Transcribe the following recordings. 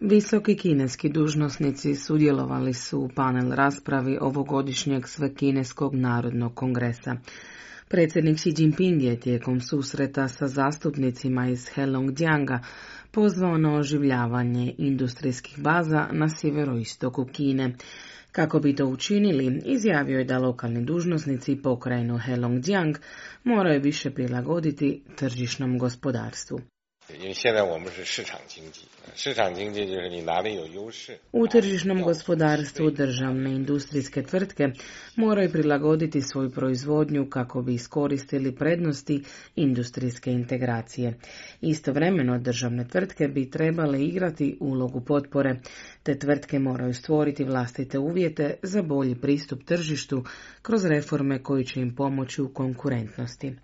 Visoki kineski dužnosnici sudjelovali su u panel raspravi ovogodišnjeg Svekineskog narodnog kongresa. Predsjednik Xi Jinping je tijekom susreta sa zastupnicima iz Heilongjianga pozvao na oživljavanje industrijskih baza na sjeveroistoku Kine. Kako bi to učinili, izjavio je da lokalni dužnosnici pokrajinu Heilongjiang moraju više prilagoditi tržišnom gospodarstvu. U tržišnom gospodarstvu državne industrijske tvrtke moraju prilagoditi svoju proizvodnju kako bi iskoristili prednosti industrijske integracije. Istovremeno državne tvrtke bi trebale igrati ulogu potpore, te tvrtke moraju stvoriti vlastite uvjete za bolji pristup tržištu kroz reforme koji će im pomoći u konkurentnosti.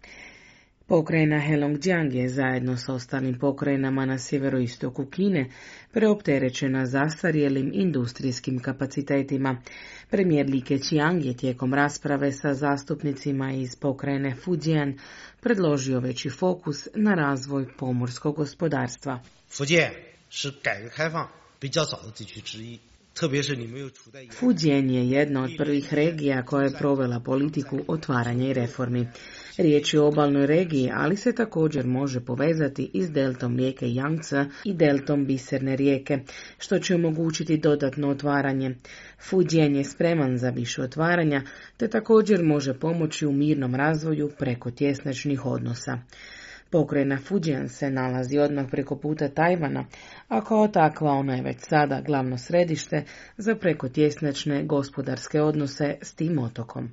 Pokrajina Heilongjiang je zajedno s ostalim pokrajinama na sjeveroistoku Kine preopterećena zastarjelim industrijskim kapacitetima. Premijer Li Keqiang je tijekom rasprave sa zastupnicima iz pokrajine Fujian predložio veći fokus na razvoj pomorskog gospodarstva. Fujian je jedna od prvih regija koja je provela politiku otvaranja i reformi. Riječ je o obalnoj regiji, ali se također može povezati i s deltom rijeke Yangtze i deltom Biserne rijeke, što će omogućiti dodatno otvaranje. Fujian je spreman za više otvaranja, te također može pomoći u mirnom razvoju preko tjesnačnih odnosa. Pokrajina Fujian se nalazi odmah preko puta Tajvana, a kao takva ona je već sada glavno središte za prekotjesnačne gospodarske odnose s tim otokom.